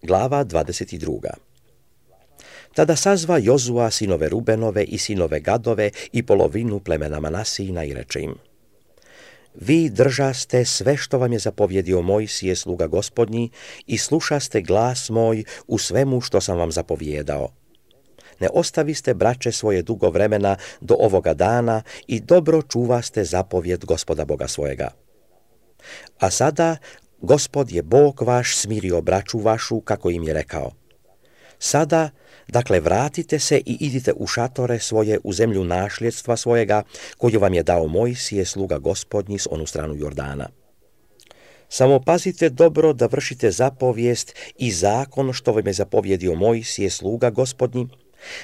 Glava 22. Tada sazva Jozua sinove Rubenove i sinove Gadove i polovinu plemena Manasijina i reče im: Vi držaste sve što vam je zapovjedio Mojsije sluga Gospodnji i slušaste glas moj u svemu što sam vam zapovjedao. Ne ostaviste, braće, svoje dugo vremena do ovoga dana i dobro čuvaste zapovjed Gospoda Boga svojega. A sada Gospod je Bog vaš smirio braću vašu kako im je rekao. Sada, dakle, vratite se i idite u šatore svoje u zemlju našljedstva svojega, koju vam je dao Mojsije sluga Gospodnji s onu stranu Jordana. Samo pazite dobro da vršite zapovijest i zakon što vam je zapovjedio Mojsije sluga Gospodnji,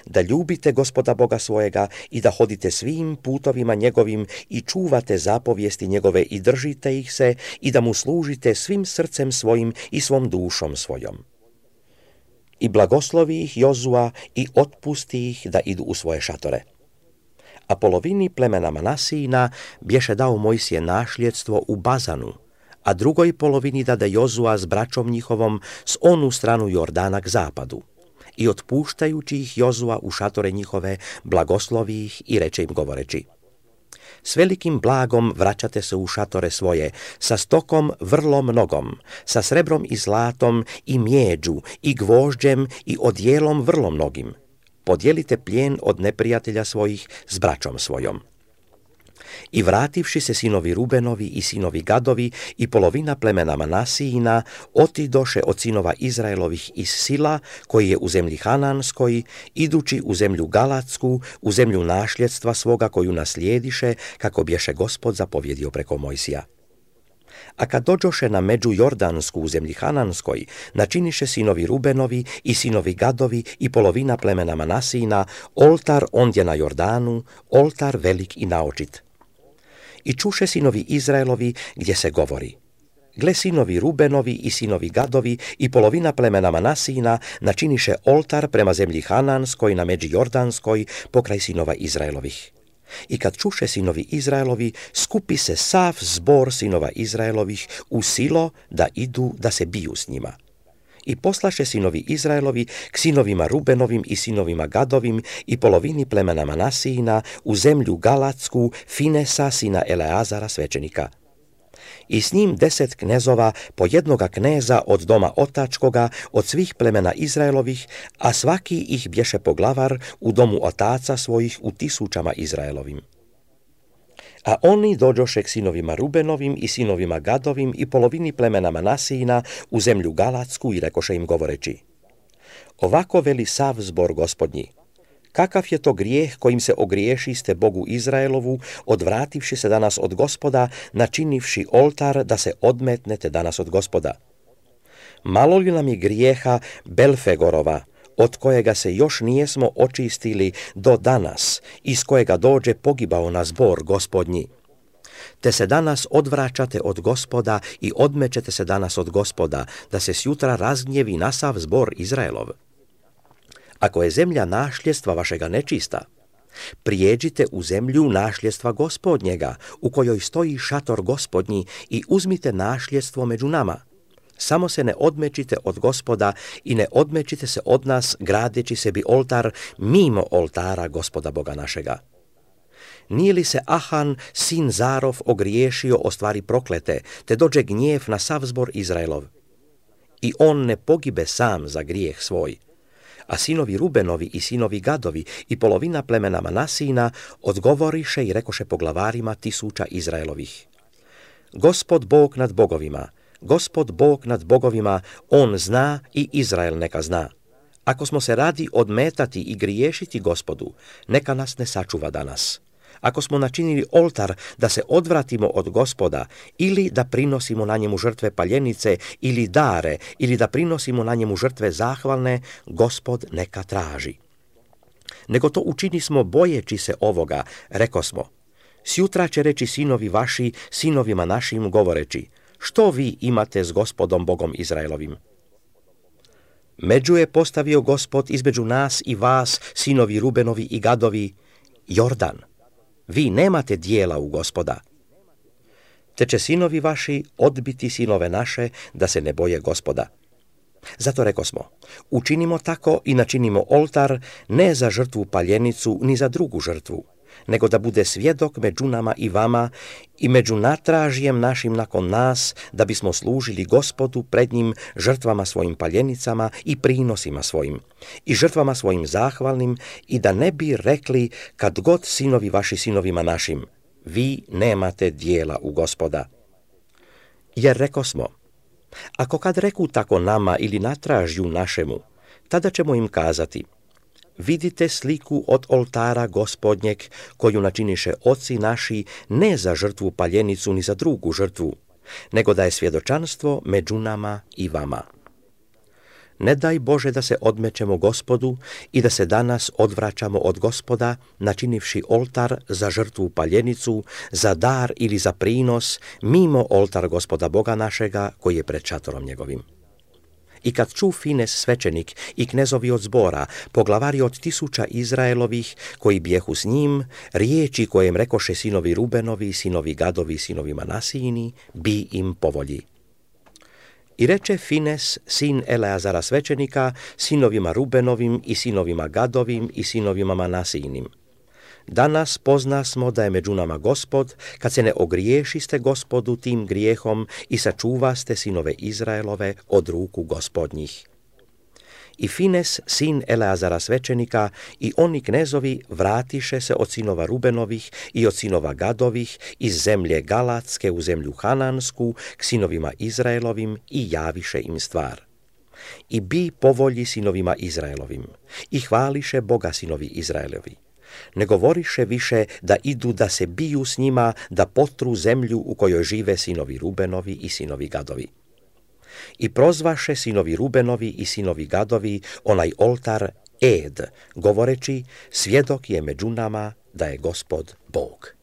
da ljubite Gospoda Boga svojega i da hodite svim putovima njegovim i čuvate zapovijesti njegove i držite ih se i da mu služite svim srcem svojim i svom dušom svojom. I blagoslovi ih Jozua i otpusti ih da idu u svoje šatore. A polovini plemena Manasijina bješe dao Mojsije našljedstvo u Bazanu, a drugoj polovini dade Jozua s braćom njihovom s onu stranu Jordana k zapadu. I otpuštajući ih Jozua u šatore njihove, blagoslovi ih i reče im govoreći: S velikim blagom vraćate se u šatore svoje, sa stokom vrlo mnogom, sa srebrom i zlatom i mjeđu i gvožđem i odjelom vrlo mnogim. Podijelite plijen od neprijatelja svojih s braćom svojom. I vrativši se sinovi Rubenovi i sinovi Gadovi i polovina plemena Manasijina otidoše od sinova Izraelovih iz Sila, koji je u zemlji Hananskoj, idući u zemlju Galatsku, u zemlju našljedstva svoga koju naslijediše, kako bješe Gospod zapovjedio preko Mojsija. A kad dođoše na među Jordansku u zemlji Hananskoj, načiniše sinovi Rubenovi i sinovi Gadovi i polovina plemena Manasijina oltar ondje na Jordanu, oltar velik i naočit. I čuše sinovi Izraelovi gdje se govori: Gle, sinovi Rubenovi i sinovi Gadovi i polovina plemena Manasijina načiniše oltar prema zemlji Hananskoj na međi Jordanskoj pokraj sinova Izraelovih. I kad čuše sinovi Izraelovi, skupi se sav zbor sinova Izraelovih u Silo da idu da se biju s njima. I poslaše sinovi Izraelovi k sinovima Rubenovim i sinovima Gadovim i polovini plemena Manasijina u zemlju Galatsku Finesa sina Eleazara svećenika. I s njim 10 knezova, po jednoga kneza od doma otačkoga, od svih plemena Izraelovih, a svaki ih bješe poglavar u domu otaca svojih u 1000 Izraelovim. A oni dođoše k sinovima Rubenovim i sinovima Gadovim i polovini plemena Manasijina u zemlju Galatsku i rekoše im govoreći: Ovako veli sav zbor Gospodnji: Kakav je to grijeh kojim se ogriješiste Bogu Izraelovu, odvrativši se danas od Gospoda, načinivši oltar da se odmetnete danas od Gospoda? Malo li nam je grijeha Belfegorova, od kojega se još nijesmo očistili do danas, iz kojega dođe pogibao na zbor Gospodnji? Te se danas odvraćate od Gospoda i odmećete se danas od Gospoda, da se sjutra razgnjevi na sav zbor Izraelov. Ako je zemlja našljedstva vašega nečista, prijeđite u zemlju našljedstva Gospodnjega, u kojoj stoji šator Gospodnji, i uzmite našljedstvo među nama. Samo se ne odmećite od Gospoda i ne odmećite se od nas gradeći sebi oltar mimo oltara Gospoda Boga našega. Nije li se Ahan, sin Zarov, ogriješio o stvari proklete, te dođe gnjev na sav zbor Izraelov? I on ne pogibe sam za grijeh svoj. A sinovi Rubenovi i sinovi Gadovi i polovina plemena Manasijina odgovoriše i rekoše poglavarima 1000 Izraelovih: Gospod Bog nad bogovima, Gospod Bog nad bogovima, on zna i Izrael neka zna. Ako smo se radi odmetati i griješiti Gospodu, neka nas ne sačuva danas. Ako smo načinili oltar da se odvratimo od Gospoda, ili da prinosimo na njemu žrtve paljenice ili dare, ili da prinosimo na njemu žrtve zahvalne, Gospod neka traži. Nego to učinismo bojeći se ovoga, rekosmo: Sjutra će reći sinovi vaši sinovima našim govoreći: Što vi imate s Gospodom Bogom Izraelovim? Među je postavio Gospod između nas i vas, sinovi Rubenovi i Gadovi, Jordan. Vi nemate dijela u Gospoda. Te će sinovi vaši odbiti sinove naše da se ne boje Gospoda. Zato rekosmo, učinimo tako i načinimo oltar ne za žrtvu paljenicu ni za drugu žrtvu, nego da bude svjedok među nama i vama i među natražijem našim nakon nas, da bismo služili Gospodu pred njim žrtvama svojim paljenicama i prinosima svojim, i žrtvama svojim zahvalnim, i da ne bi rekli kad god sinovi vaši sinovima našim, vi nemate dijela u Gospoda. Jer rekosmo, ako kad reku tako nama ili natražju našemu, tada ćemo im kazati, vidite sliku od oltara Gospodnjeg, koju načiniše oci naši ne za žrtvu paljenicu ni za drugu žrtvu, nego da je svjedočanstvo među nama i vama. Ne daj Bože da se odmećemo Gospodu i da se danas odvraćamo od Gospoda, načinivši oltar za žrtvu paljenicu, za dar ili za prinos, mimo oltar Gospoda Boga našega, koji je pred šatorom njegovim. I kad ču Fines svećenik i knezovi od zbora, poglavari od 1000 Izraelovih, koji bijehu s njim, riječi kojem rekoše sinovi Rubenovi, sinovi Gadovi, sinovi Manasijini, bi im povolji. I reče Fines, sin Eleazara svećenika, sinovima Rubenovim i sinovima Gadovim i sinovima Manasijinim. Danas poznasmo da je među nama Gospod, kad se ne ogriješiste Gospodu tim grijehom i sačuvaste sinove Izraelove od ruku Gospodnjih. I Fines, sin Eleazara svećenika, i oni knezovi vratiše se od sinova Rubenovih i od sinova Gadovih iz zemlje Galatske u zemlju Hanansku k sinovima Izraelovim i javiše im stvar. I bi povolji sinovima Izraelovim i hvališe Boga sinovi Izraelovi. Ne govoriše više da idu da se biju s njima, da potru zemlju u kojoj žive sinovi Rubenovi i sinovi Gadovi. I prozvaše sinovi Rubenovi i sinovi Gadovi onaj oltar Ed, govoreći, svjedok je među nama da je Gospod Bog.